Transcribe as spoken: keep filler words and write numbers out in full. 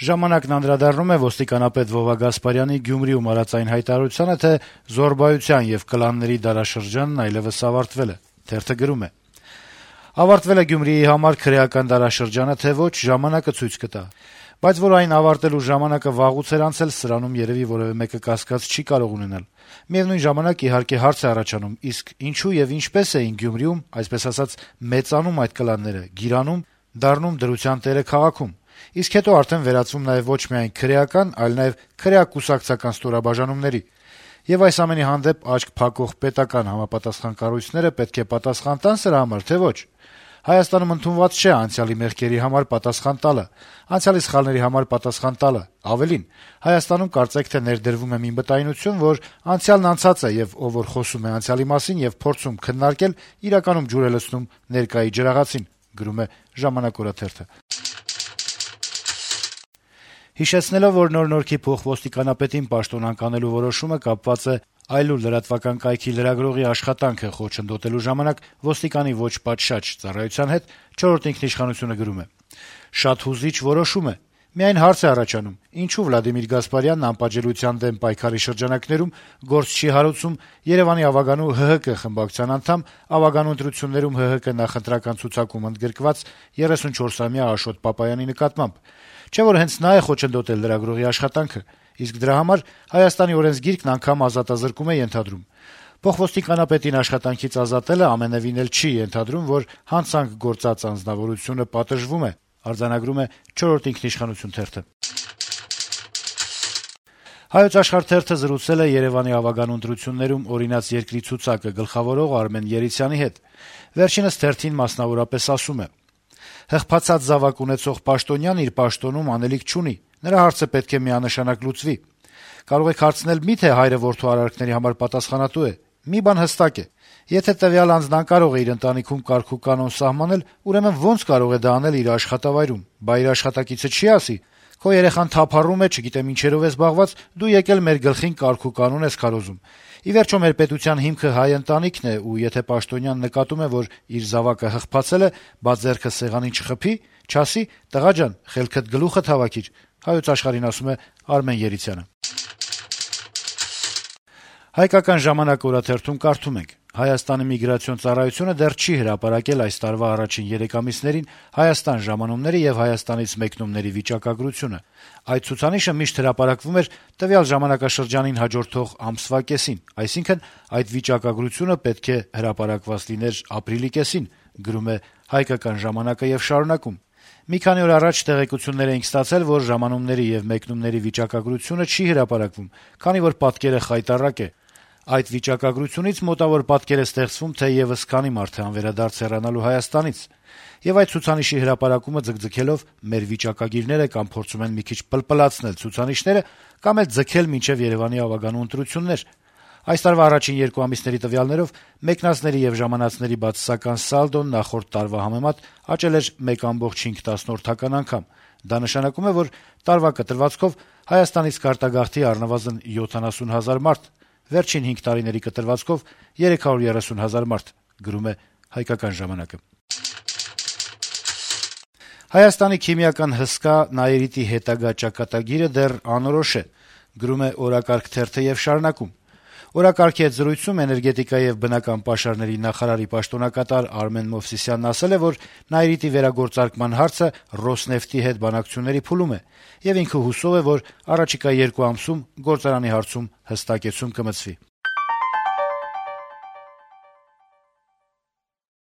Ժամանակն անդրադառնում է ոստիկանապետ Վովա Գասպարյանի Գյումրիում արած այն հայտարարությանը, թե զոռբայության եւ կլանների դարաշրջանն այլեւս ավարտվել է։ Թերթը գրում է. - «Ավարտվել է Գյումրիի համար քրեական դարաշրջանը, թե ոչ, ժամանակը ցույց կտա։ Բայց որ այն ավարտելու ժամանակը վաղուց էր անցել, սրանում երեւի որեւէ մեկը կասկած չի կարող ունենալ։ Միեւնույն ժամանակ, իհարկե, հարց է առաջանում, իսկ ինչու եւ ինչպես էին Գյումրիում, այսպես ասած, մեծանում այդ կլանները, գիրանում, դառնում դրության տերը քաղաքում։ Իսկ հետո արդեն վերածվում նաեւ ոչ միայն քրեական, այլ նաեւ քրեակ-կուսակցական ստորաբաժանումների։ Եվ այս ամենի հանդեպ աչք փակող պետական համապատասխան կառույցները պետք է պատասխան տան սրա համար, թե ոչ։ Հայաստանում ընդունված չէ անցյալի մեղքերի համար պատասխան տալը, անցյալի սխալների համար պատասխան տալը։ Ավելին, Հայաստանում կարծեք թե ներդրվում է մի մտայնություն, որ անցյալն անցած է, եւ ով որ խոսում է անցյալի մասին եւ փորձում քննարկել, իրականում ջուր է լցնում ներկայի ջրաղացին», գրում է «Ժամանակ» օրաթերթը։ Հիշեցնելով, որ Նոր Նորքի փոխոստիկանապետին պաշտոն անկանելու որոշումը կապված է «Այլուլ» լրատվական կայքի լրագրողի աշխատանքը խոչընդոտելու ժամանակ ոստիկանի ոչ պատշաճ ծառայության հետ, «Չորրորդ ինքնիշխանություն»-ը գրում է. - «Շատ հուզիչ որոշում է։ Միայն հարց է առաջանում՝ ինչու Վլադիմիր Գասպարյանն անպատժելիության դեմ պայքարի շրջանակներում գործ չի հարուցում Երեւանի ավագանու ՀՀԿ խմբակցության անդամ, ավագանու ընտրություններում ՀՀԿ նախընտրական ցուցակում ընդգրկված երեսունչորսամյա Աշոտ Պապայանի նկատմամբ։ Չէ՞ որ հենց նա է խոչընդոտել լրագրողի աշխատանքը, իսկ դրա համար Հայաստանի օրենսգիրքն անգամ ազատազրկում է ենթադրում։ Փոխոստիկանապետին աշխատանքից ազատելը ամենեւին էլ չի ենթադրում, որ հանցանք գործած անձնավորությունը պատժվում է», արձանագրում է «Չորրորդ ինքնիշխանություն» թերթը։ «Հայոց Աշխարհ» թերթը զրուցել է Երեւանի ավագանու ընտրություններում օրինաց երկրի ցուցակը գլխավորող Արմեն Երիցյանի հետ։ Վերջինս թերթին մասնավորապես ասում է. - «Հղբացած զավակ ունեցող պաշտոնյան իր պաշտոնում անելիք չունի, նրա հարցը պետք է միանշանակ լուծվի։ Կարող եք հարցնել՝ մի՞թե հայրը որդու արարքների համար պատասխանատու է։ Մի բան հստակ է. եթե տվյալ անձն անկարող է իր ընտանիքում կարգ ու կանոն սահմանել, ուրեմն ո՞նց կարող է դա անել իր աշխատավայրում։ Բա իր աշխատակիցը չի ասի՝ քո երեխան թափառում է, չգիտեմ ինչերով է զբաղված, դու եկել մեր գլխին կարգ ու կանոն ես քարոզում։ Ի վերջո մեր պետության հիմքը հայ ընտանիքն է, ու եթե պաշտոնյան նկատում է, որ իր զավակը հղբացել է, բա ձեռքը սեղանին չխփի, չասի՝ տղա ջան, խելքդ գլուխդ հավաքիր», «Հայոց Աշխարհ»-ին ասում է Արմեն Երիցյանը։ «Հայկական ժամանակ» օրաթերթում կարդում ենք. - «Հայաստանի միգրացիոն ծառայությունը դեռ չի հրապարակել այս տարվա առաջին երեք ամիսներին Հայաստան ժամանումների եւ Հայաստանից մեկնումների վիճակագրությունը։ Այդ ցուցանիշը միշտ հրապարակվում էր տվյալ ժամանակաշրջանին հաջորդող ամսվա կեսին, այսինքն այդ վիճակագրությունը պետք է հրապարակված լիներ ապրիլի կեսին», գրում է «Հայկական ժամանակը» եւ շարունակում. - «Մի քանի օր առաջ տեղեկություններ էինք ստացել, որ ժամանումների եւ մեկնումների վիճակագրությունը չի հրապարակվում, քանի որ պատկերը խայտառակ է։ Այդ վիճակագրությունից մոտավոր պատկեր է ստեղծվում, թե եւս քանի մարդ է անվերադարձ հեռանալու Հայաստանից։ Եվ այդ ցուցանիշի հրապարակումը ձգձգելով մեր վիճակագիրները կամ փորձում են մի քիչ պլպլացնել ցուցանիշները, կամ էլ ձգել մինչեւ Երեւանի ավագանու ընտրություններ։ Այս տարվա առաջին երկու ամիսների տվյալներով մեկնածների եւ ժամանածների բացասական սալդոն նախորդ տարվա համեմատ աճել էր մեկ կόμma հինգ անգամ։ Դա նշանակում է, որ տարվա կտրվածքով Հայաստանից կարտագաղթի առնվազն յոթանասուն հազար մարդ, վերջին հինգ տարիների կտրվածքով երեք հարյուր երեսուն հազար մարդ», գրում է «Հայկական ժամանակը»։ Հայաստանի քիմիական հսկա նաիրիտի հետագա ճակատագիրը դեռ անորոշ է, գրում է «Օրակարգ» թերթը եւ շարունակում. - «Օրակարգի հետ զրույցում էներգետիկայի եւ բնական պաշարների նախարարի պաշտոնակատար Արմեն Մովսիսյանն ասել է, որ նաիրիտի վերագործարկման հարցը «Ռոսնեֆտի» հետ բանակցությունների փուլում է, եւ ինքը հուսով է, որ առաջիկա երկու ամսում գործարանի հարցում հստակեցում կմտցվի»։